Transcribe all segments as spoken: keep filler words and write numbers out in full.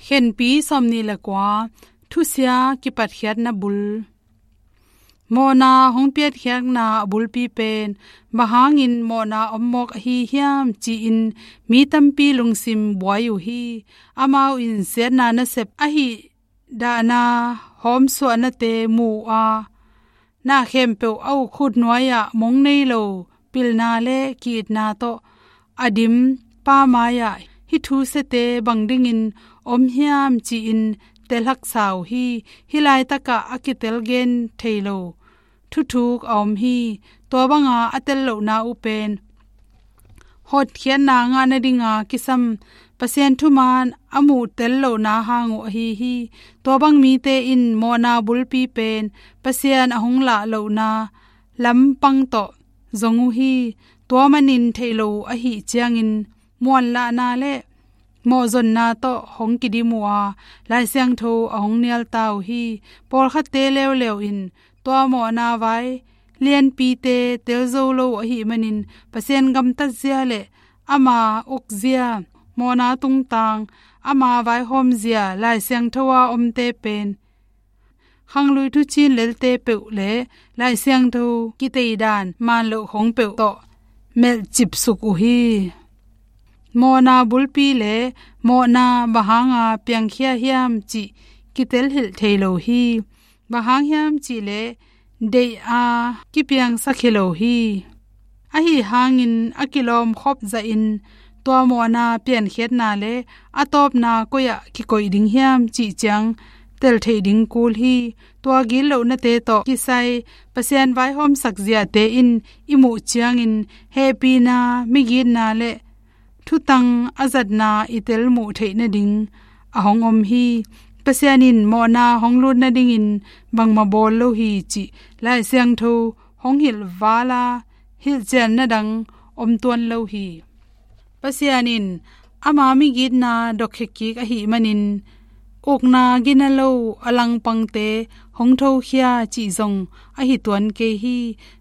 Khenpi sawmnih le kua, thusia kipatkhiatna bul. Mawhna hong piankhiatna a bulpi pen, bang hangin mawhna om mawk ahi hiam ci-in mi tampi lungsim buai uh hi. Amau in siatna nasep ahih dahna hawmsuahnate mu uh a, na khempeuh a uk khut nuai-ah mong nei lo pilna le ki-itna tawh a dim pa mai-ah hih thusiate bang dingin om hiam ci-in tel haksa uh hi. Hih laitakah a kitel gen thei lo thuthuk a om hi. Tua banga a tel lohna uh pen hotkhiatna ngah nadinga kisam Pasian thuman a muh tel lohna hang uh ahi hi. Tua bang mite in mawhna bulpi pen Pasian a hong lah lohna lampang tawh zong uh hi. Tua manin theih lo uh ahih ciangin muanlahna le mawhzonna tawh hong kidim uh a, Lai Siangtho a hong nialta uh hi. Pawlkhatte leuleu in tua mawhna vai lianpite tel zo lo uh ahih manin Pasian gamtatzia le ama ukzia, mawhna tungtang, ama vaihawmzia Lai Siangtho a omte pen khanglui thuciin lelte peuh le Lai Siangtho kiteidan manloh khong peuh tawh melhcipsuk uh hi. Mawhna bulpi le mawhna bang hanga piangkhia hiam cih kitel hilh thei lo hi. Bang hang hiam cih leh deih a kipiangsak hi lo hi. Ahi hangin a kilawmkhop zahin tua mawhna piankhiatna le a tawpna koi-ah kikoih ding hiam cih ciang tel theih ding kul hi. Tua gitlohnate tawh kisai Pasian vaihawmsak ziate in i muh ciangin hehpihna, migitna le thutang a zatna i tel muh theih nading a hong om hi. Pasian in mawhna hong lut nadingin bangmah bawl lo hi cih Lai Siangtho hong hilh vala hilhcianna dang om tuan lo hi. Pasian in ama migitna dokkhe kik ahih manin ukna gina lo a langpangte hong thokhia cih zong ahi tuan kei hi.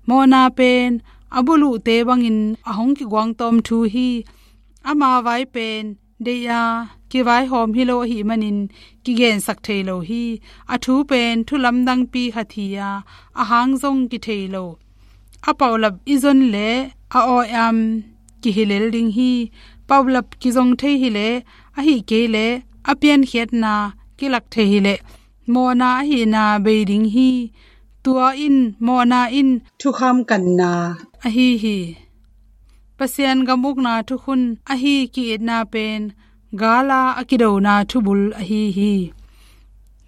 Mawhna pen a buluhte bangin a hong kiguangtawm thu hi. Ama vai pen deih a kivaihawm hi lo ahih manin kigensak thei lo hi. A thu pen thu lamdangpi khat hi a, a hang zong kithei lo. A paulap i zon leh a awi-am kihi lel ding hi. Paulap kizong thei hileh, ahih kei leh a piankhiatna kilak thei hileh mawhna ahihna bei ding hi. Tua in mawhna in thukham kanna ahi hi. Pasian gam ukna thukhun ahi ki-itna pen gala a kidona thubul ahi hi.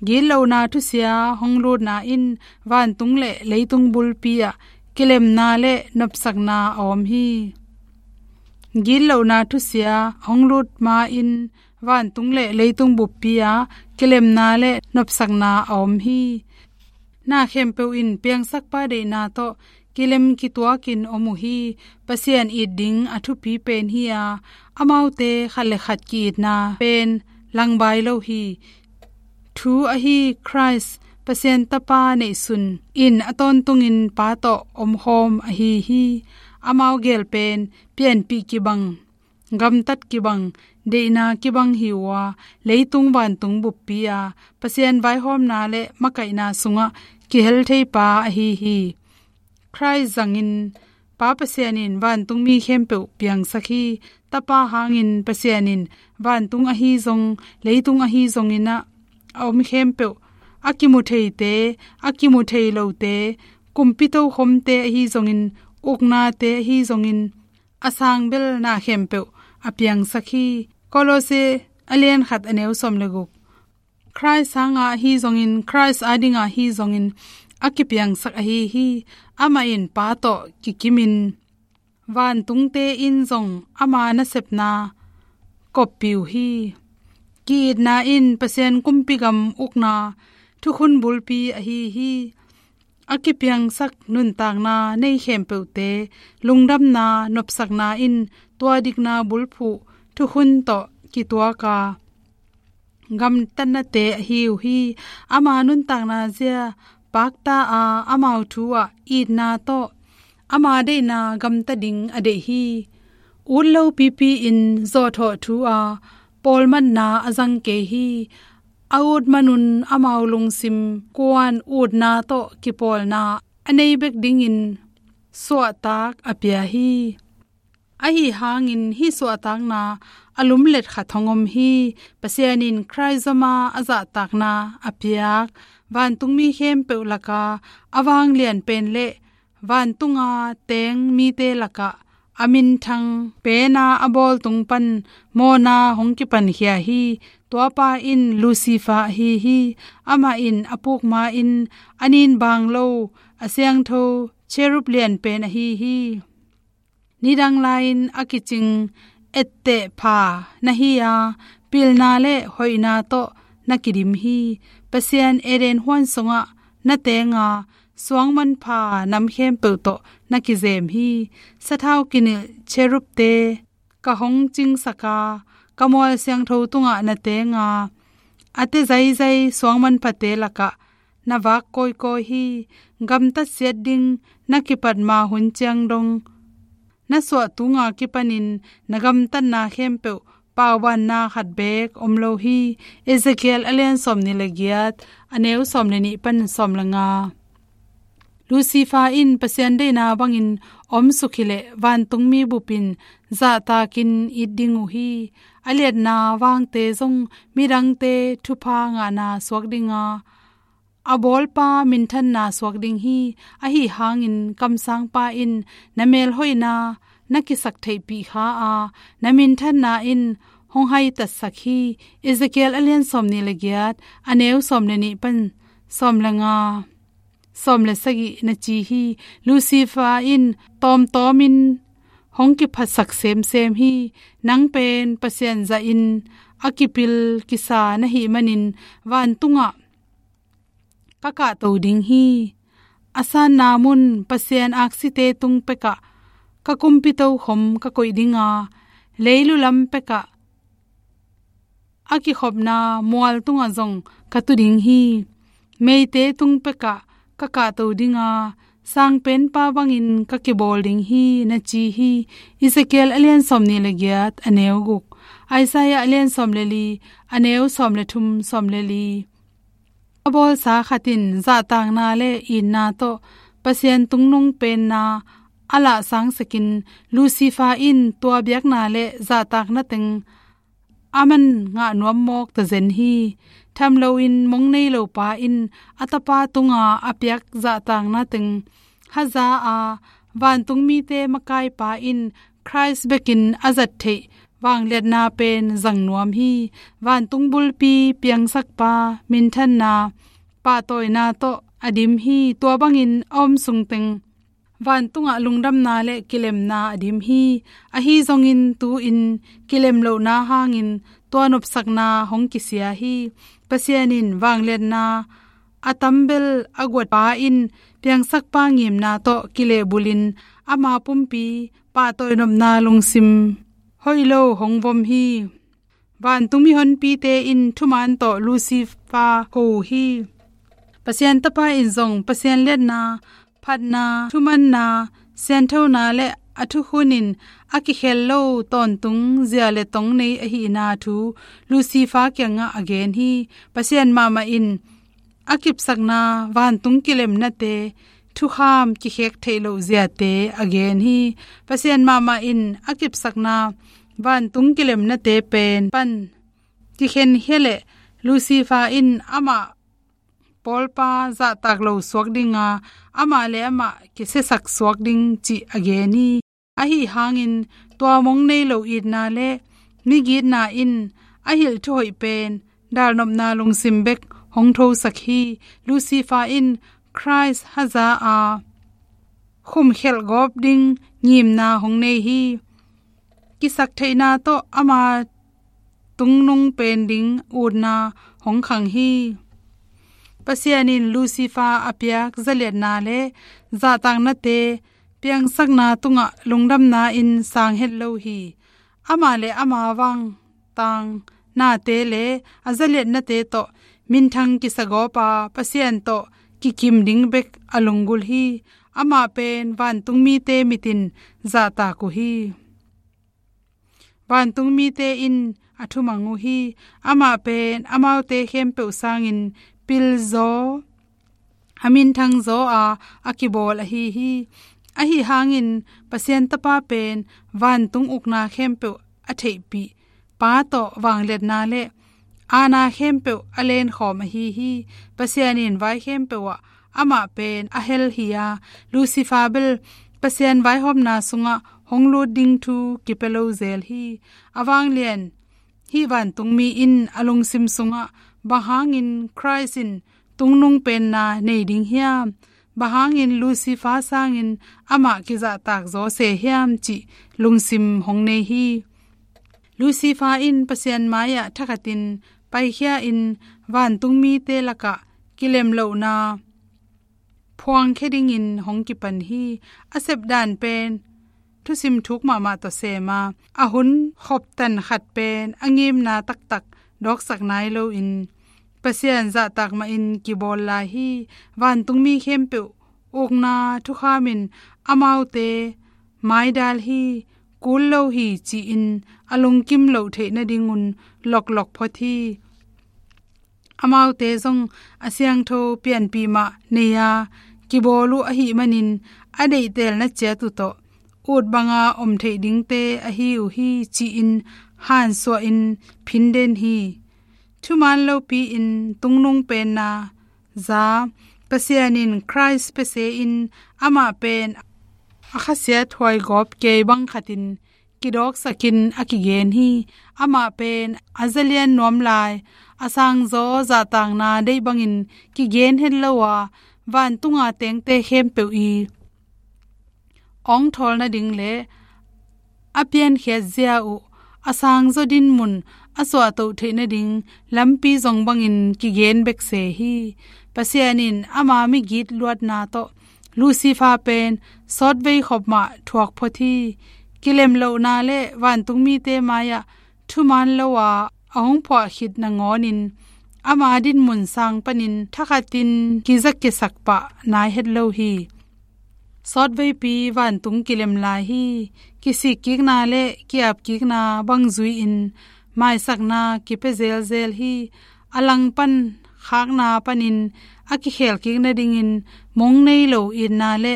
Gitlohna thusia hong lutna in vantung le leitung bulpi ah kilemna le nopsakna a om hi. Gitlohna thusia hong lut ma-in vantung le leitung buppi ah kilemna le nopsakna a om hi. Na khempeuh in piangsakpa deihna tawh kilem kituakin om uh hi. Pasian it ding a thupi pen hi a, amaute khat le khat ki-itna pen langbai lo hi. Thu ahi Khrist, Pasian Tapa neihsun in a tawntungin Pa tawh omkhawm ahi hi. Amau gel pen pianpih kibang, gamtat kibang, deihna kibang hi uh a, leitung vantung buppi a Pasian vaihawmna le makaihna sungah kihel theipa ahi hi. Khrist zangin Pa Pasian in vantungmi khempeuh piangsak hi. Tapa hangin Pasian in vantung ahi zong, leitung ahi zongin ah a om khempeuh, a kimu theite, a kimu thei lote, kumpi tokhomte ahi zongin, uknate ahi zongin, a sang bel na khempeuh a piangsak hi. Kolose a lian khat a neu sawm le guk. Khrist hanga ahi zongin, Khrist adinga ahi zongin a kipiangsak ahi hi. Amah in Pa tawh kikimin vantungte in zong ama nasepna koppih uh hi. Ki-itna in Pasian kumpi gam ukna thukhun bulpi ahi hi. A kipiangsak nuntakna nei khempeuhte lungdamna nopsakna in tua dikna bulphuh thukhun tawh kituak a gamtatnate ahi uh hi. Ama nuntakna zia pakta a amau thu ah itna tawh ama deihna gamta ding a deih hi. Ut lo pipi-in zawhthawh thu a pawlmatna a zang kei hi. A ut manun amau lungsim kuan utna tawh kipawlna a nei bek dingin suahtak a pia hi. Ahi hangin hih suahtakna a lumlet khat hong om hi. Pasian in Khrih zoma a zahtakna a piak vantungmi khempeuh laka a vanglian pen le vantunga teng mite lakah a minthang pena a bawl tung pan mawhna hong kipankhia hi. Tuapa in Lucifer ahi hi. Amah in a puk ma-in a nin baang lo a siangtho cherub lian pen ahi hi. Nidang lai-in a kicing etteh pha na hi a, pilna le hoihna tawh na kidim hi. Pasian Eden huan sungah na teng a, suangmanpha nam khempeuh tawh na kizem hi. Sathau kinilh cherubte ka hong cingsak a, ka mual siangtho tungah na teng a, a te zaizai suangmanphate lakah na vak kawikawi hi. Gamtat siat ding na kipat ma hun ciang dong na suah tunga kipanin na gamtatna khempeuh paubanna khat beek om lo hi. Ezekiel a lian sawmnih le giat, a neu sawm le nih pan sawm le nga. Lucifer in Pasian deihna bangin om suk hileh vantungmi bupin zahtakin it ding uh hi. A liatna vangte zong midangte thupha ngahna suak dinga, a bawlpa minthanna suak ding hi. Ahi hangin kamsangpa in na melhoihna na kisak theihpih kha a, na minthanna in hong haitatsak hi. Ezekiel a lian sawmnih le giat, a neu sawm le nih pan sawm le nga, sawm le sagih na ci hi. Lucifer in tawmtawmin hong kiphatsak semsem hi. Nang pen Pasian zahin a kipil kisa na hih manin vantungah ka kahto ding hi. A sanna mun Pasian aksite tung pekah ka kumpi tokhom ka koih dinga, leilu lam pekah a kikhopna mual tungah zong ka tu ding hi. Meite tung pekah ka kahto dinga, sangpenpa bangin ka kibawl ding hi, na ci hi. Ezekiel a lian sawmnih le giat, a neu guk. Isaiah a lian sawm le li, a neu sawm le thum, sawm le li. A bawlsa khat in zahtakna le itna tawh Pasian tungnung penna a lahsangsakin, Lucifer in tua biakna le zahtakna teng a man ngah nuam mawk tazen hi. Tham loin mong nei lopa in a tapa tunga a piak zahtakna teng haza a, vantungmite makaipa in Khrih bekin a zat theih vangliatna pen zang nuam hi. Vantung bulpi piangsakpa minthanna pahtawina tawh a dim hi. Tua bangin a om sungteng vantungah lungdamna le kilemna a dim hi. Ahi zongin tu-in kilem lohna hangin tua nopsakna hong kisia hi. Pasian in vangliatna a tambel a guatpa in piangsakpa ngimna tawh kilehbulhin ama pumpi pahtawi nopna lungsim hoih lo hong vom hi. Vantung mihonpite in thuman tawh Lucifer ko uh hi. Pasian Tapa in zong Pasian liatna, phatna, thumanna, sianthona le a thukhun in a kikhel lo tawntung zia le tong nei ahihna thu Lucifer kiangah a gen hi. Pasian mahmah in a kipsakna vantung kilemnate, thukham kikhek theih loh ziate a gen hi. Pasian mahmah in a kipsakna vantung kilemnate pen pan kikhenkhia leh Lucifer in amah pawlpa zahtak lo suak dinga, amah le amah kisiasak suak ding cih a gen hi. Ahi hangin tua mong nei lo itna le migitna in a hilh thuhoih pen dalnopna lungsim bek hong thosak hi. Lucifer in Khrih haza a khumkhelh gawp ding ngimna hong nei hi. Kisaktheihna tawh ama tungnung pen ding utna hong khang hi. Pasian in Lucifer a piak zaliatna le zahtaknate piangsakna tungah lungdamna in sang het lo hi. Amah le ama vangtang nate le a zaliatnate tawh minthang kisagawpa Pasian tawh kikim ding bek a lunggulh hi. Amah pen vantungmite mitin zahtak uh hi. Vantungmite in a thumang uh hi. Amah pen amaute khempeuh sangin pilzaw, a minthangzaw a, a kibawl ahi hi. Ahi hangin Pasian Tapa pen vantung ukna khempeuh a theihpih, Pa tawh vangliatna le aana khempeuh a lenkhawm ahi hi. Pasian in vai khempeuh ah amah pen a hel hi a, Lucifer bel Pasian vaihawmna sungah hong lut ding thu kipia lo zel hi. A vanglian hih vantungmi in a lungsim sungah, bang hangin Khrist in tungnung penna nei ding hiam? Bang hangin Lucifer sangin amah kizahtak zaw se hiam cih lungsim hong nei hi. Lucifer in Pasian mai-ah thakhatin paikhia in vantungmite lakah kilemlohna phuangkhia dingin hong kipan hi. A sepdan pen thusim thuk mahmah tawh sem a, a hun khoptan khat pen a ngimna taktak dawksak nai loin Pasian zahtak mahin kibawl lai hi. Vantungmi khempeuh ukna thukham in amaute maidal hi, kul lo hi ci-in a lungkim loh theih nadingun loklok phot hi. Amaute zong a siangtho pianpih mah nei a kibawl uh ahih manin a deihtelna ciat uh tawh ut banga om theih dingte ahi uh hi ci-in hansuah in phin den hi. Thuman lopi-in tungnung penna za Pasian in Khrist pia se in amah pen a khasiat huaigawp kei bang khatin kidawksakin a kigen hi. Amah pen a zalian nuam lai, a sangzaw zahtakna deih bangin kigen het lo a, vantunga tengte khempeuh i awngthawl nading le a piankhiat zia uh a sangzaw dinmun a suahtoh theih nading lampi zong bangin kigen bek se hi. Pasian in ama migit luatna tawh Lucifer pen sawtvei khop mah thuak phot hi. Kilemlohna le vantungmite mai-ah thuman lo a a hong phuah khit nangawnin ama dinmun sang panin thakhatin kizakiasak pah nai het lo hi. Sawtveipi vantung kilem lai hi. Kisikkikna le kiapkikna bang zui-in maisakna kipia zelzel hi. A langpan khakna panin a kikhelkik nadingin mong nei lo itna le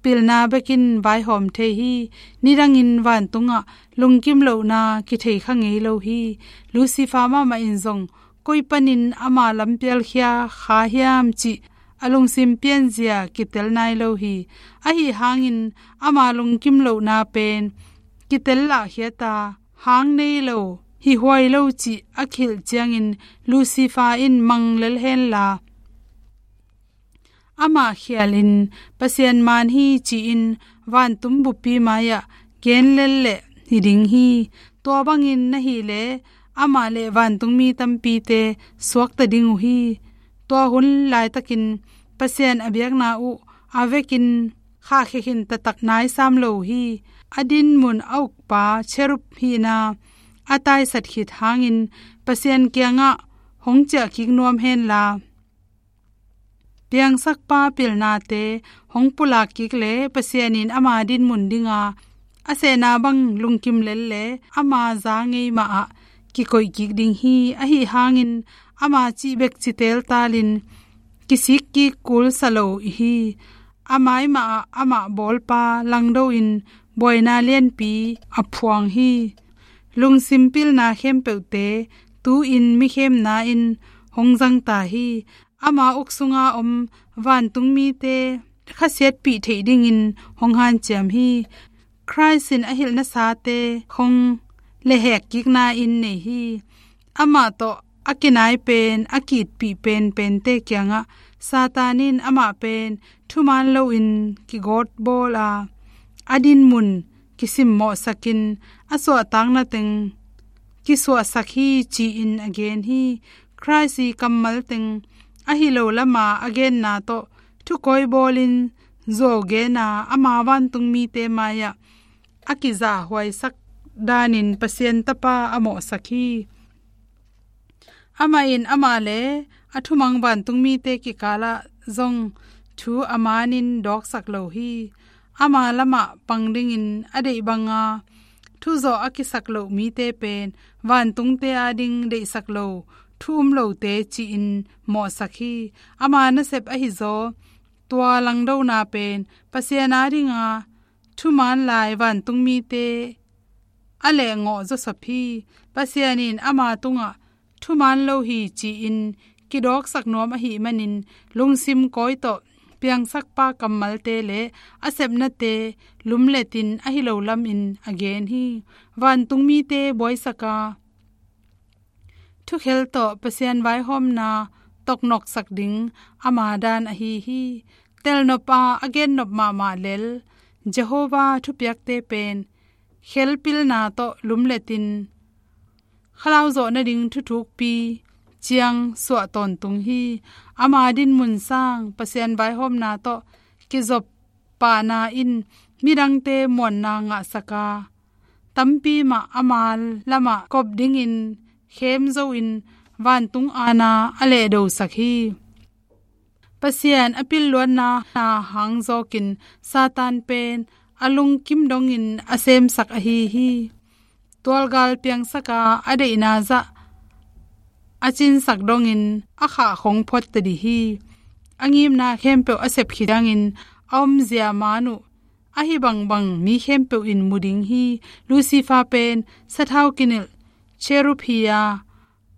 pilna bekin vaihawm thei hi. Nidangin vantungah lungkim lohna kithei kha ngei lo hi. Lucifer mahmah in zong koi panin ama lampialkhia kha hiam cih a lungsim pianzia kitel nai lo hi. Ahi hangin ama lungkim lohna pen kitel lahkhiat a, hang nei lo, hi huai lo cih a khilh ciangin Lucifer in mang lel henla, amah khialin Pasian man hi ci-in vantung buppi mai-ah gen lel leh hi ding hi. Tua bangin na hih leh amah le vantungmi tampite suakta ding uh hi. Tua hun laitakin Pasian a biakna uh a vekin khahkhia khin taktak nai sam lo uh hi. A dinmun a ukpa cherub hihna a taisat khit hangin Pasian kiangah hong ciahkik nuam henla, piangsakpa pilnate hong pulak kik le Pasian in ama dinmun dinga a sehna bang lungkim lel le ama za ngei mahah kikoih kik ding hi. Ahi hangin ama cih bek ci teltalin kisikkik kulsa lo hi. A mai mahah amah bawlpa langdo in buaina lianpi a phuang hi. Lungsim pilna khempeuhte tu-in mikhemna in hong zangta hi. Ama uk sunga om vantungmite khasiatpih theih dingin hong hanciam hi. Khrist in a hilh nasate khong lehhek kikna in nei hi. Amah tawh a kinai pen a kiitpih penpente kiangah Satan in amah pen thuman loin kigawtbawl a, a dinmun kisimmawhsakin a suahtakna teng kisuahsak hi ci-in a gen hi. Khrist i kammal teng a hi lo lama a genna tawh thukawi bawlin zuau gena ama vantungmite mai-ah a kizahhuaisak danin Pasian Tapa a mawhsak hi. Amah in amah le a thumang vantungmite kikalah zong thu a manin dawksak lo hi. Ama lamah pang dingin a deih banga thuzawh a kisak loh mite pen vantungte ading deihsak lo, thu um lote ci-in mawhsak hi. Ama nasep ahizaw tua langdona pen Pasian adinga thuman lai vantung mite a lehngawh zawsop hi. Pasian in ama tungah thuman lo hi ci-in kidawksak nuam ahih manin lungsim kawi tawh piangsakpa kammalte le a sepnate lumletin ahi lo lamin a gen hi. Vantung mite buaisaka thukhel tawh Pasian vaihawmna toknoksak ding ama dan ahi hi. Telnop a a gennop mahmah lel Jehovah thupiakte pen khelpilna tawh lumletin khalauh zawh nading thuthukpi ciang suah tawntung hi. Ama dinmun sang Pasian vaihawmna tawh kizop pahna in midangte muanna ngahsaka tampi mah ama lamah kop dingin khem zoin vantung ana a lehdosak hi. Pasian a pilluatna hangzawkin Satan pen a lungkim dongin a semsak ahi hi. Tualgal piangsaka a deihna zah a cinsak dongin a khah khong phuatta dih hi. A ngimna khempeuh a sep khit ciangin a omzia man uh ahi bangbang mi khempeuh in mu ding hi. Lucifer pen sathau kinilh cherub hi-a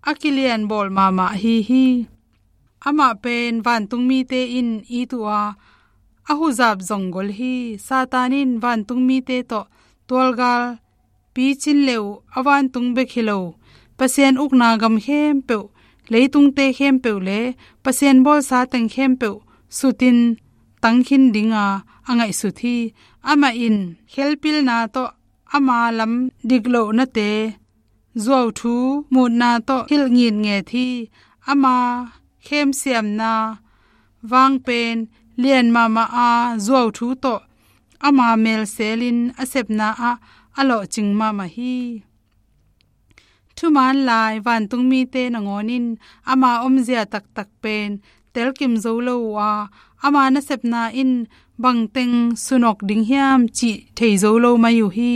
a kilianbawl mahmah ahi hi. Amah pen vantung mite in it uh a a huzap zong gol hi. Satan in vantung mite tawh tualgal picin le uh a vantung bek hi lo, Pasian ukna gam khempeuh, leitungte khempeuh le Pasian bawlsa teng khempeuh sutin tangkhin dinga a ngaihsut hi. Amah in khelpilna tawh ama lam diklohnate zuauthu mutna tawh hilh ngitnget hi. Ama khemsiamna vang pen lian mahmah a zuauthu tawh ama melselin a sepna ah a lawhcing mahmah hi. Thuman lai vantung mite nangawn in ama omzia taktak pen telkim zo lo uh a, ama nasepna in bangteng sunok ding hiam cih thei zo lo mai uh hi.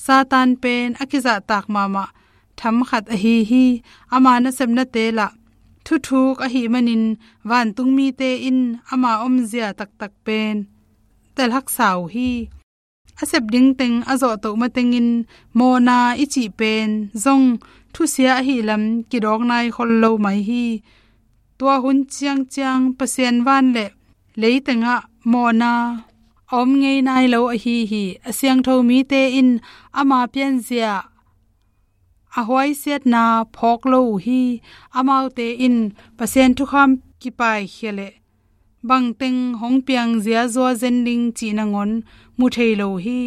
Satan pen a kizahtak mahmah tham khat ahi hi. Ama nasepnate lah thuthuk ahih manin vantung mite in ama omzia taktak pen telhaksa uh hi. A sep ding teng a zawhtoh matengin mawhna i cih pen zong thusia ahih lam kidawk nai khol lo mai hi. Tua hun ciangciang Pasian van le lei tengah mawhna a om ngei nai lo ahi hi. A siangtho mite in ama pianzia a huaisiatna phawk lo uh hi. Amaute in Pasian thukham kipaikhia leh bangteng hong piang ziazua zen ding cih nangawn mu thei lo hi.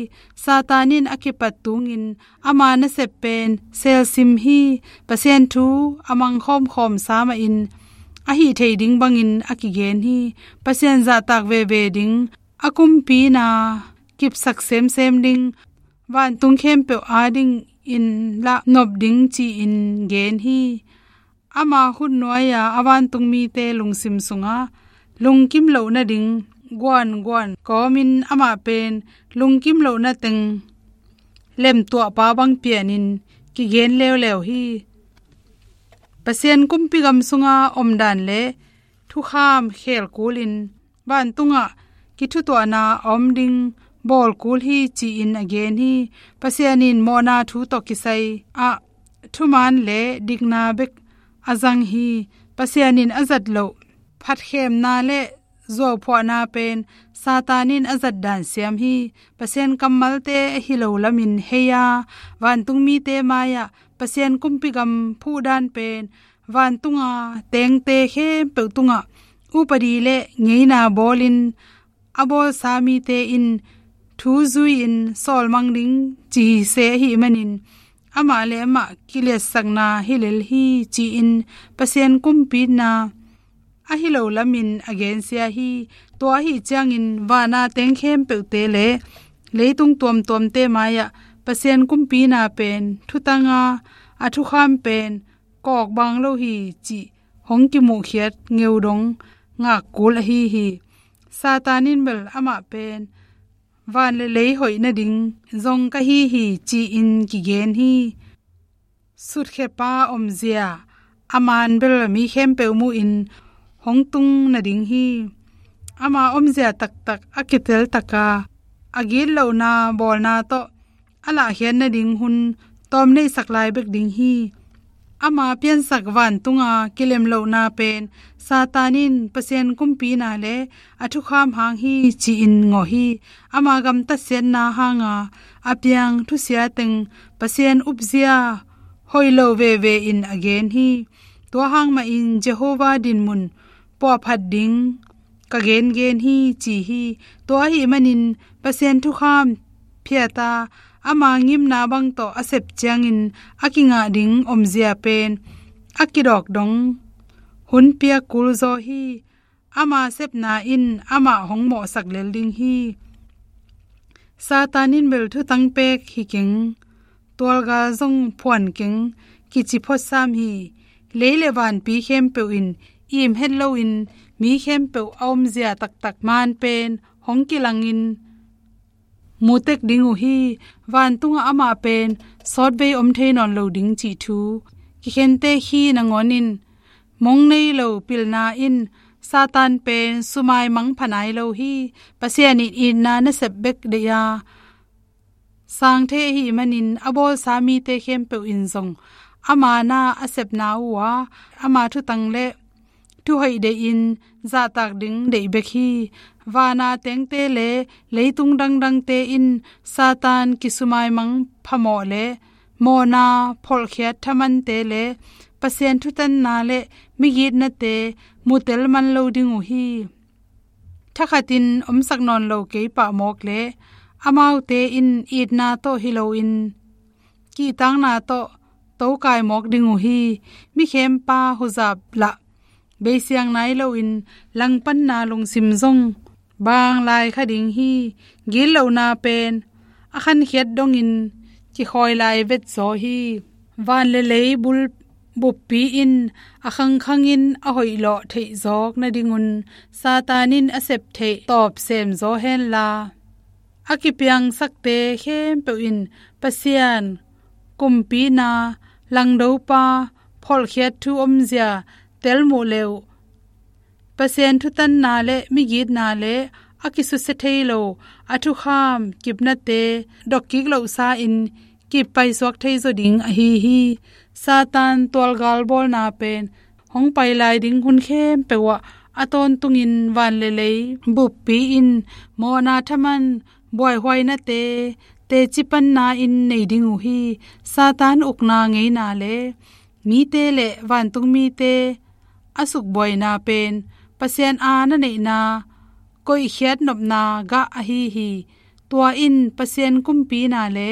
Satan in a kipat tungin ama nasep pen selsim hi. Pasian thu a mangkhawmkhawm sa mahin a hih theih ding bangin a kigen hi. Pasian zahtak veve ding, a kumpina kipsak semsem ding, vantung khempeuh adingin lah nop ding ci-in gen hi. Ama khutnuai-a a vantung mite lungsim sungah lungkim loh nading guanguan kawmin amah pen lungkim loh nateng lemtuahpa bang pianin kigen leuleu hi. Pasian kumpi gam sunga omdan le thukham khel kulin vantungah kithutuahna a om ding bawl kul hi ci-in a gen hi. Pasian in mawhna thu tawh kisai ah thuman le dikna bek a zang hi. Pasian in a zat loh phatkhemna le zuauphuahna pen Satan in a zat dan siam hi. Pasian kammalte ahi lo lamin hei-a vantung mite mai-ah Pasian kumpi gam phuhdan pen vantunga tengte khempeuh tungah upadi le ngeina bawlin a bawlsa mite in thu zui-in sawlmang ding ci hi se ahih manin amah le amah kiliatsakna hi lel hi ci-in Pasian kumpina ahi lo lamin a gensia hi. Tua ahih ciangin vana teng khempeuhte le leitung tuamtuamte mai-ah Pasian kumpina pen thutanga a thukham pen kawkbang lo hi cih hong kimuhkhiat ngeudong ngak kul ahi hi. Satan in bel amah pen van le lei hoih nading zong ka hi hi, ci-in kigen hi. Sutkhiatpa omzia a man bel mi khempeuh muhin hong tung nading hi. Ama omzia taktak a kitel taka a gitlohna bawlna tawh a lahkhiat nading hun tawm neihsak lai bek ding hi. Ama piansak vantunga kilemlohna pen Satan in Pasian kumpina le a thukham hang hi, ci-in ngawh hi. Ama gamtatsiatna hanga a piang thusia teng Pasian upzia hoih lo veve in a gen hi. Tua hang mahin Jehovah dinmun puahphat ding ka gengen hi, ci hi. Tua ahih manin Pasian thukham phiata ama ngimna bang tawh a sep ciangin a kingah ding omzia pen a kidawk dong hun piak kulzaw hi. Ama sepna in amah hong mawhsak lel ding hi. Satan in bel thutang pek hi keng, tualgal zong phuan keng, kici photsam hi. Lei le vanpi khempeuh in im het loin mi khempeuh a omzia taktak man pen hong kilangin mutek ding uh hi. Vantungah amah pen sawtvei om thei nawn lo ding cih thu kikhente khi nangawnin mong nei lo pilna in Satan pen sumai mang pha nai lo hi. Pasian in itna nasep bek deih a, sang thei ahih manin a bawlsa mite khempeuh in zong ama na a sepna uh a, ama thutang le thuhoih deihin zahtak ding deih bek hi. Vana tengte le leitung dangdangte in Satan kisumai mang phamawh le mawhna pholhkhiat thamante le Pasian thutanna le migitnate mutel man lo ding uh hi. Thakhatin omsak nawn lo kei pah mawk le amaute in itna tawh hi loin kihtakna tawh tokai mawk ding uh hi. Mikhempa huzap lah beisiang nai loin langpanna lungsim zong bang lai kha ding hi. Gitlohna pen a khankhiat dongin kikhawi lai vetzaw hi. Van le lei bul buppi in a khangkhangin a hoihlawh theihzawk nadingun Satan in a sep theih tawp semzaw henla, a kipiangsakte khempeuh in Pasian kumpina langdopa pholhkhiat thu omzia telmuh leuh Pasian thutanna le migitna le a kisusia thei lo a thukham kipnate dokkik lohsa in kip paisuak thei zaw ding ahi hi. Satan tualgal bawlna pen hong pai lai ding hun khempeuh ah a tawntungin van le lei buppi in mawhna thaman buaihuainate teci panna in nei ding uh hi. Satan ukna ngeina le mite le vantungmite a sukbuaina pen Pasian a na neihna koihkhiat nopna gah ahi hi. Tua in Pasian kumpina le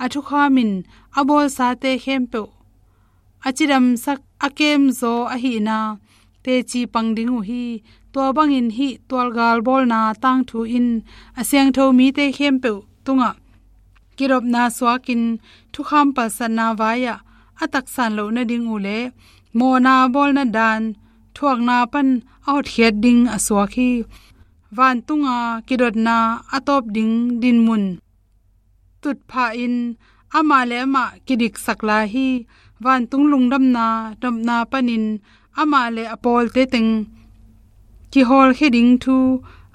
a thukhamin a bawlsate khempeuh a cidamsak a kemzaw ahihna teci pang ding uh hi. Tua bangin hih tualgal bawlna tangthu in a siangtho mite khempeuh tungah kidopna suakin thukham palsatna vai-ah a taksan loh nading uh le mawhna bawlna dan thuakna pan a hotkhiat ding a suak hi. Vantunga kidotna a tawp ding dinmun tutphah in amah le amah kidiksak lai hi. Vantung lungdamna nopna panin amah le a pawlte teng kihawlkhia ding thu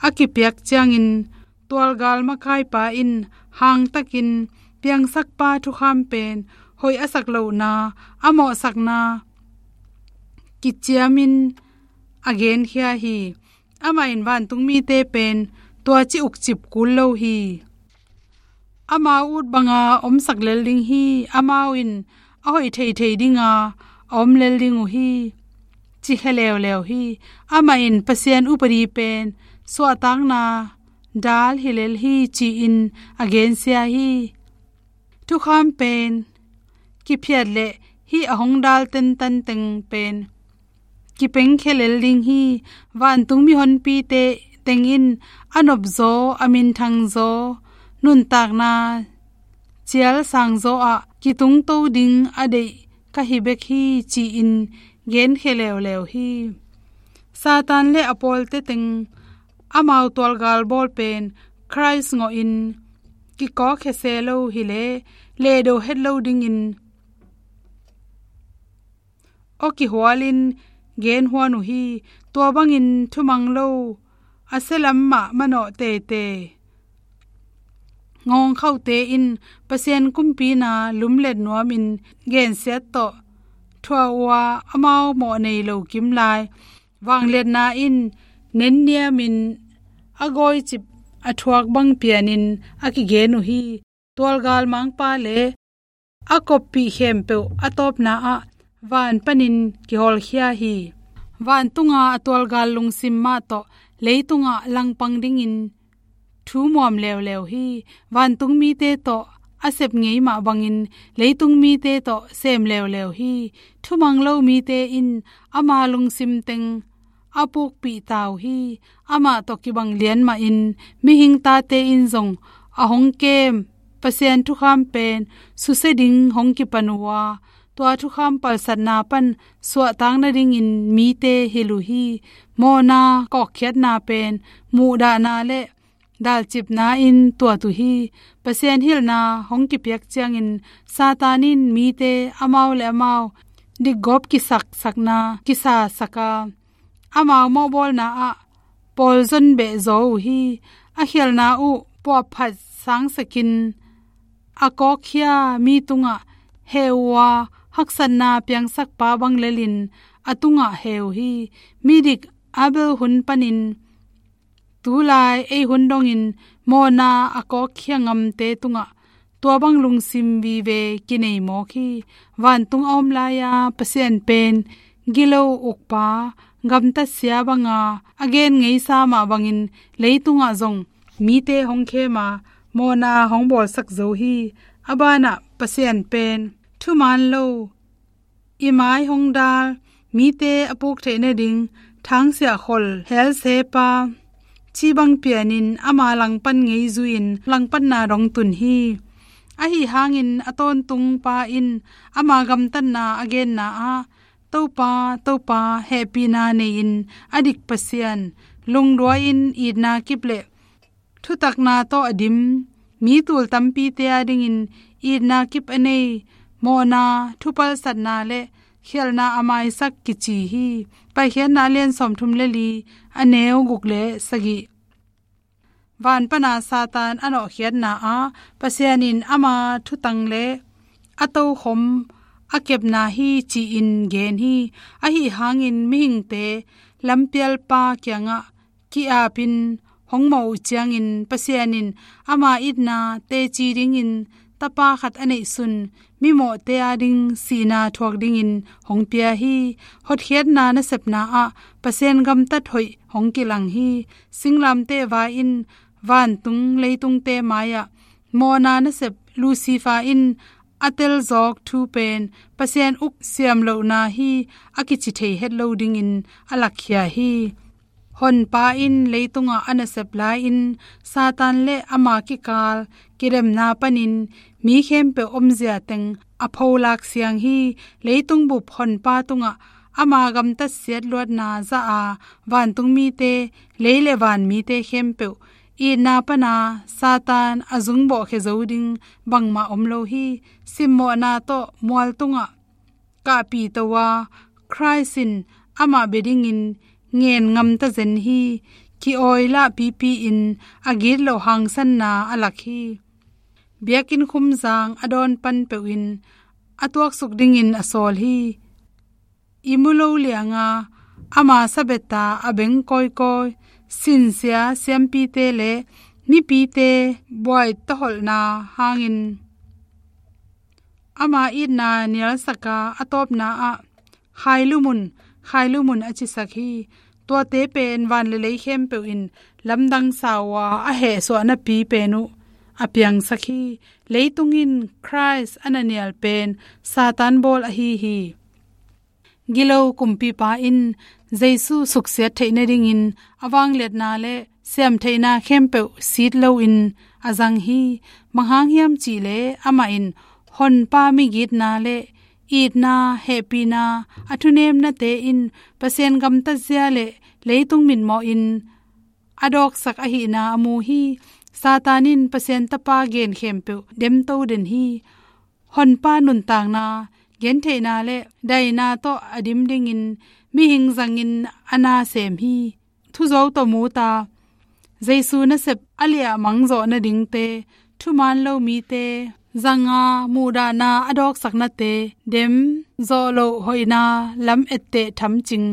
a kipiak ciangin tualgal makaipa in hangtakin piangsakpa thukham pen hoih a sak lohna a mawhsakna kiciamin a genkhia hi. Amah in vantungmite pen tua ci ukcip kul lo hi. Amau ut banga omsak lel ding hi. Amau in a hoih theithei dinga a om lel ding uh hi, ci khe leuleu hi. Amah in Pasian upadi pen suahtakna dal hi lel hi, ci-in a gensia hi. Thukham pen kiphiat le hih a hong dal tentan teng pen kipengkhia lel ding hi. Vantung mihonpite tengin a nopzaw, a minthangzaw, nuntakna cial sangzaw ah kitungto ding a deih ka hi bek hi, ci-in genkhia leuleu hi. Satan le a pawlte teng amau tualgal bawl pen Khrist ngawhin kikawkkhia se lo hi leh lehdo het lo dingin aw kihualin genhuan uh hi. Tua bangin thumang lo a sialam mah manawh teitei ngawngkhaute in Pasian kumpina lumlet nuamin gensiat tawh thuah uh a, amau mawh nei lo kimlai vangliatna in nenniamin a gawicip a thuak bang pianin a kigen uh hi. Tualgal mangpa le a koppih khempeuh a tawpna ah van panin kihawlkhia hi. Vantunga a tualgal lungsim mah tawh leitungah langpang dingin thu muam leuleu hi. Vantung mite tawh a sep ngei mah bangin leitung mite tawh sem leuleu hi. Thumang lo mite in ama lungsim teng a pukpih ta uh hi. Amah tawh kibang lian mahin mihing tate in zong a hong kem Pasian thukham pen susia ding hong kipan uh a, tua thukham palsatna pan suahtak nadingin mite hilh uh hi. Mawhna kawkkhiatna pen muhdahna le dalcipna in tuat uh hi. Pasian hilhna hong kipiak ciangin Satan in mite amau le amau dikgawp kisaksakna kisasak a, amau mawhbawlna ah pawlzon behzaw uh hi. A khialhna uh puahphat sangsakin a kawkkhia mi tungah heh uh a, haksatna piangsakpa bang lelin a tungah heh uh hi. Midik Abel hun panin tulai ei hun dongin mawhna a kawkkhia ngamte tungah tua bang lungsim vive kinei mawk hi. Vantung a om lai-a Pasian pen gilo ukpa gamtatsia banga a gen ngeisa mah bangin leitungah zong mite hong khem a, mawhna hong bawlsak zo hi. A banah Pasian pen thuman lo, i mai hong dal, mite a puk theih nading thangsiah khol helsepa cibang pianin ama langpan ngei zuiin langpanna dong tun hi. Ahi hangin a tawntungpa in ama gamtatna a genna ah, "Topa, Topa, hehpihna nei-in a dik Pasian, lungduai-in itna kip le thutakna tawh a dim mi tul tampite adingin itna kip a nei, mawhna, thupalsatna le khialhna a maisak," kici hi. Paikhiatna a lian sawmthum le li, a neu guk le sagih. Van pana Satan a nawhkhiatna ah Pasian in ama thutang le a tokhom a kepna hi ci-in gen hi. Ahi hangin mihingte lampialpa kiangah ki-apin hong mawh uh ciangin Pasian in ama itna teci dingin tapa khat a neihsun mimawhte ading sihna thuak dingin hong pia hi. Hotkhiatna nasepna ah Pasian gamtat hoih hong kilang hi. Singlamteh vai in vantung leitungte mai-ah mawhna nasep Lucifer in a telzawk thu pen Pasian uk siam lohna hi a kici thei het lo dingin a lakkhia hi. Honpa in leitungah a nasep lai-in Satan le ama kikal kidemna panin mi khempeuh omzia teng a pholak siang hi. Leitung bup honpa tungah ama gamtatsiat luatna zah a, vantung mite, lei le van mite khempeuh itna pana Satan a zungbawhkhia zo ding bangmah om lo hi. Simmawhna tawh mual tungah kahpih to a, Khrist in amah bia dingin ngen ngamta zen hi. Ki-awi lah pipi-in a git loh hangsanna a lak hi. Biakinn khumzang a dawn pan peuhin a tuaksuk dingin a sawl hi. I mu lo lianga ama sabeta a beng kawikawi sinsia siampite le mipite buai taholhna hangin ama itna nialsaka a tawpna ah, "Khailumun, khailumun," a cisak hi. Tuate pen van le lei khempeuh in lamdang sa uh a, a hehsuahnapi pen uh a piangsak hi. Leitung in Khrist a na nial pen Satan bawl ahi hi. Gilo kumpipa in Jesu suksiat theih nadingin a vangliatna le siamtheihna khempeuh sit loin a zang hi. Bang hang hiam cihleh amah in honpa migitna le itna, hehpihna, a thunemnate in Pasian gamtatzia le leitung mitmawhin a dawksak ahihna a mu hi. Satan in Pasian Tapa gen khempeuh demto den hi. Honpa nuntakna, gentheihna le daina tawh a dim dingin mihing zangin a na sem hi. Thuzo tawh mu ta, Jesu nasep a liah mangzawh nadingte, thuman lo mite zanga muhdahna a dawksaknate, dem zawh loh hoihna lam etteh thamcing,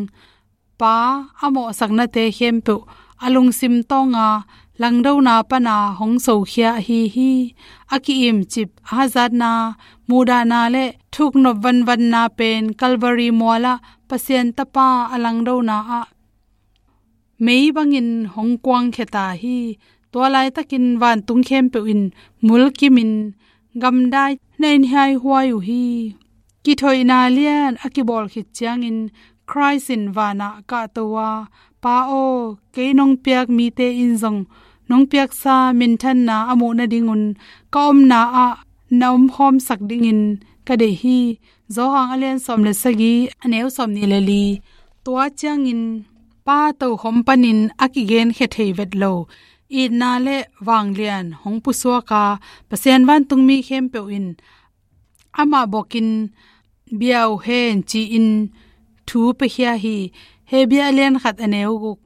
Pa a mawhsaknate khempeuh a lungsim tawnga langdona pana hong sokhia ahi hi. A ki-imcip, a hazatna, muhdahna le thuknop vanvanna pen Calvary mualah Pasian Tapa a langdona ah mei bangin hong kuangkhia ta hi. Tua laitakin vantung khempeuh in mulkimin gamdai na in hiaihuai uh hi. Kithoihna lian a kibawl khit ciangin Christ in vanah kahto a, Pa aw, kei nong piak mite in zong nong piaksa minthanna a muh nadingun ka omna ah na omkhawmsak dingin ka deih hi. Johan a lian sawm le sagih, a neu sawmnih le li. Tua ciangin Pa tokhom panin a kigenkhia thei vet lo itna le vanglian hong pusuak a, Pasian vantungmi khempeuh in amah bokin bia uh hen ci-in thu piakhia hi. Hebru a lian khat, a neu guk.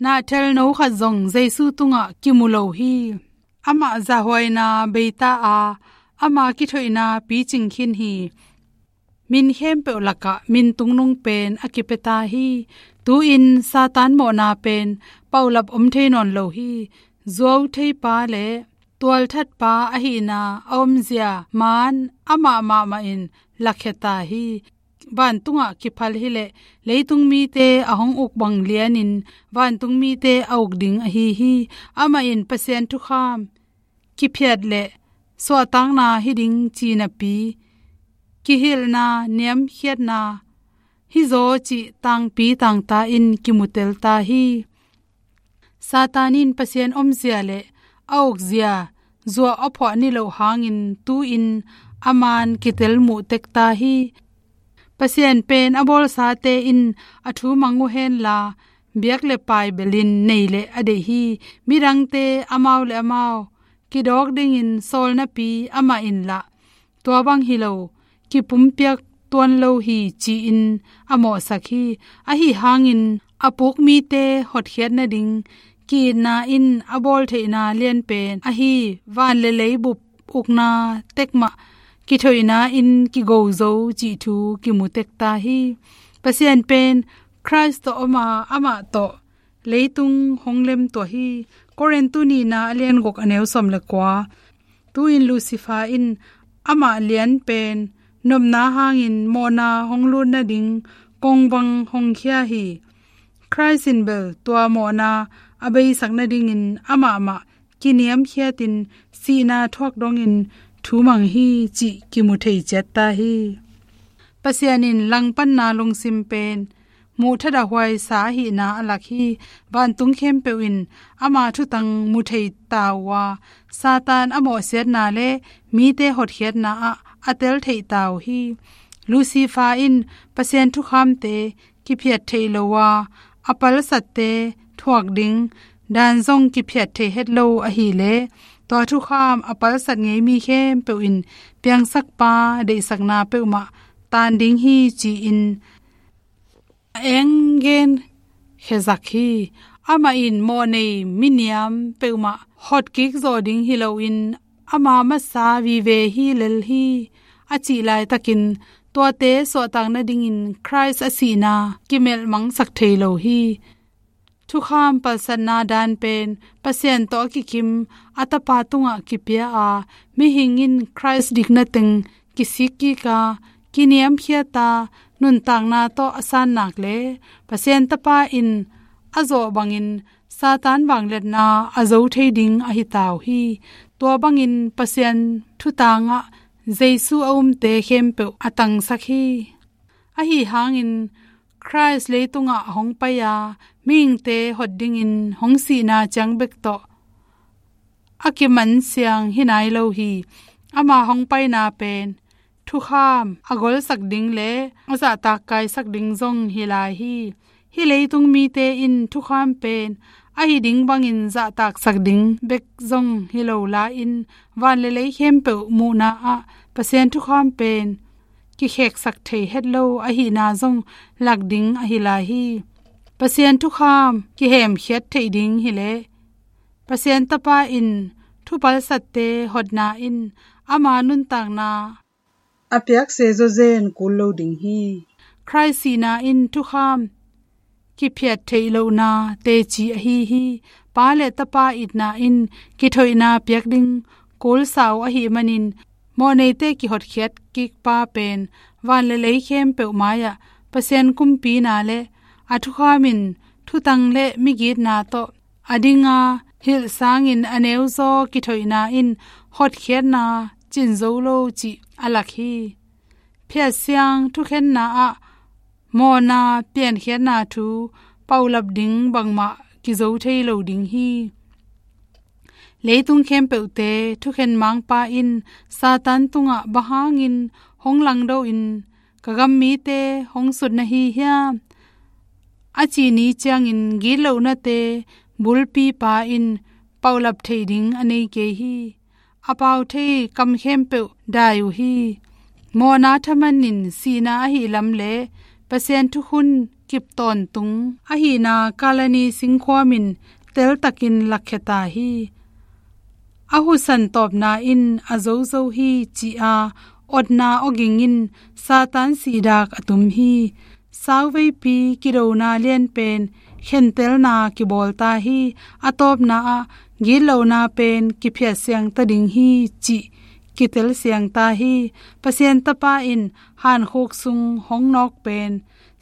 Nahthelno khat zong Jesu tungah kimu lo hi. Amah zahhuaina beita a, ama kithoihna picing khin hi. Min khempeuh lakah min tungnung pen a kipia ta hi. Tu-in Satan mawhna pen paulap om thei nawn lo hi. Zuautheipa le tualthatpa ahihna a omzia man amah mahmah in lakhia ta hi. Vantungah kiphal hileh leitung mite a hong uk bang lianin vantung mite a uk ding ahi hi. Amah in Pasian thukham kiphiat le suahtakna hi ding ci napi, kihilhna, niamkhiatna hizaw cih tangpi tangta in kimutel ta hi. Satan in Pasian omzia le a ukzia zuah a phuah niloh hangin tu-in a man kitel muh tek ta hi. Pasian pen a bawlsate in a thu mang uh henla, biak le pai belin nei le a deih hi. Midangte amau le amau kidawk dingin sawl napi amah in lah tua bang hi lo, kipumpiak tuan lo hi ci-in a mawhsak hi. Ahi hangin a puk mite hotkhiat nading ki-itna in a bawl theihna lianpen ahi van le leibup ukna tekmah kithoihna in kigo zo cih thu kimu tek ta hi. Pasian pen Christ tawh om a, amah tawh leitung hong lemtuah hi. Korintu nihna a lian guk, a neu sawm le kua. Tu-in Lucifer in amah lianpen nopna hangin mawhna hong lut nading kongvang hong khia hi. Christ in bel tua mawhna a beisak nadingin amah mah kiniamkhiatin sihna thuak dongin thu mang hi cih kimu thei ciat ta hi. Pasian in langpanna lungsim pen muh thadahhuai sa ahihna a lak hi. Vantung khempeuh in ama thutang mu thei ta uh a, Satan a mawhsiatna le mite hotkhiatna ah a tel thei ta uh hi. Lucifer in Pasian thukhamte kiphiat theih lo a, a palsatte thuak ding dan zong kiphiat thei het lo ahileh, tua thukham a palsat ngei mi khempeuh in piangsakpa deihsakna peuhmah tan ding hi ci-in a eng gen khezak hi. Amah in mawhnei miniam peuhmah hotkik zawh ding hi loin ama masa vive hi lel hi a cih laitakin tuate suahtak nadingin Christ a sihna kimelh mangsak thei lo hi. Thukham palsatna dan pen Pasian tawh a kikim a Tapa tungah kipia a, mihing in Christ dikna teng kisik kik a, kiniamkhiat a, nuntakna tawh a san nak le Pasian Tapa in a zawh bangin Satan vangliatna a zo thei ding ahi ta uh hi. Tua bangin Pasian thutangah Jesu a umte khempeuh a tangsak hi. Ahi hangin Christ leitungah hong pai a, mihingte hot dingin hong sihna ciang bek tawh a kimansiang hi nai lo hi. Ama hong paina pen thukham a golsak ding le a zahtak kaisak ding zong hi lai hi. Hih leitung mite in thukham pen ahi ding bangin zahtaksak ding bek zong hi lo la-in, van le lei khempeuh muhna ah Pasian thukham pen kikheksak thei het lo ahihna zong lak ding ahi lai hi. Pasian thukham kihemkhiat theih ding hileh Pasian Tapa in thupalsatte hotna in ama nuntakna a piakse zawzen kul lo ding hi. Khrih sihna in thukham kiphiat theih lohna teci ahi hi. Pa le Tapa itna in kithoihna piak ding kulsa uh ahih manin, mawhneite kihotkhiat kikpa pen van le lei khempeuh mai-ah Pasian kumpina le a thukham in thutang le migitna tawh a dinga hilh sangin a neuzaw kithoihna in hotkhiatna cin zo lo cih a lak hi. Phiatsiang thukhenna ah mawhna piankhiatna thu paulap ding bangmah kizo thei lo ding hi. Leitung khempeuhte thukhen mangpa in Satan tungah bang hangin hong langdo in ka gam mite hong sut na hi hiam, a cih ni ciangin gitlohnate bulpipa in paulap thei ding a nei kei hi. A pau thei kam khempeuh dai uh hi. Mawhna thaman in sihna ahih lam le Pasian thukhun kip tawntung ahihna Kalvari singkhuam in teltakin lakkhia ta hi. A husan tawpna in a zozo hi ci-a otna awging in Satan sihdak a tum hi. Sauveipi kidona lianpen khentelna kibawl ta hi. A tawpna ah gitlohna pen kiphiatsiang ta ding hi cih kitelsiang ta hi. Pasian Tapa in hankhuk sung hong nawk pen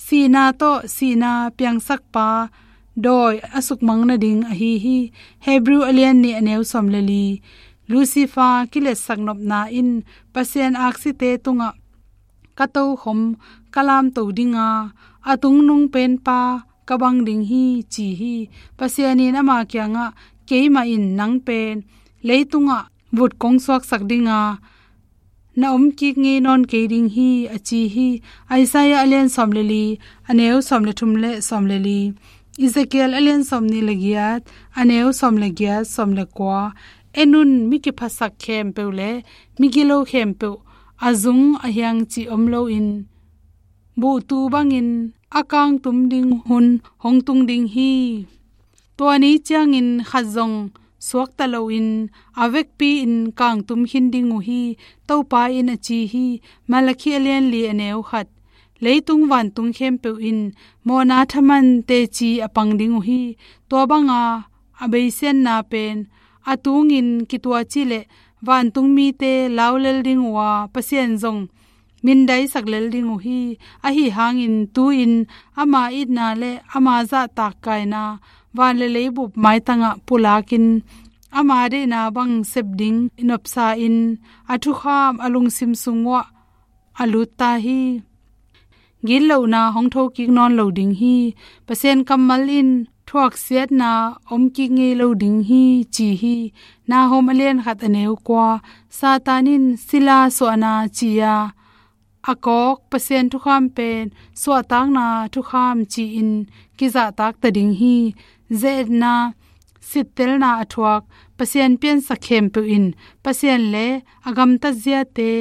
sihna tawh sihna piangsakpa dawi a sukmang nading ahi hi. Hebrew a lian nih a neu sawm le li. Lucifer kiletsak nopna in Pasian aksite tungah ka tokhom ka lamto dinga, a tungnung penpa ka bang ding hi ci hi. Pasian in ama kiangah keimah in nang pen leitungah vut kong suaksak dinga, na om kik ngei nawn kei ding hi a ci hi. Isaiah a lian sawm le li, a neu sawm le thum le sawm le li. Ezekiel a lian sawm nih le giat, a neu sawm le giat, sawm le kua. En un, mi kiphasak khempeuh le mi gilo khempeuh a zung a hiang cih om loin buhtu bangin a kangtum ding hun hong tung ding hi. Tua ni ciangin khat zong suakta loin a vekpi-in kangtum khin ding uh hi, Topa in a ci hi. Malakhi a lian li a neu khat. Leitung vantung khempeuh in mawhna thaman teci a pang ding uh hi. Tua banga a beisianna pen a tungin kituaci le vantung mite laulel ding uh a, Pasian zong mindaisak lel ding uh hi. Ahi hangin tu-in ama itna le ama zahtak kaina van le leibup maitangah pulakin ama deihna bang sep ding nopsa-in a thukham a lungsim sung uah a lut ta hi. Gitlohna hong thokik nawn lo ding hi. Pasian kammal in thuaksiatna om kik ngei lo ding hi ci hi. Nahum a lian khat a neu kua. Satan in sila suahna ci-a a kawk Pasian thukham pen suahtakna thukham ci-in kizahtak ta ding hi. Ze-etna, sittelna a thuak Pasian piansak khempeuh in Pasian le a gamtat ziate,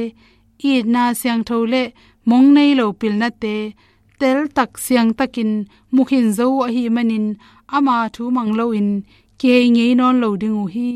itna siangtho le mong nei lo pilnate teltak siangtakin mukhin zo uh ahih manin ama thu mang loin kihei ngei nawn lo ding uh hi.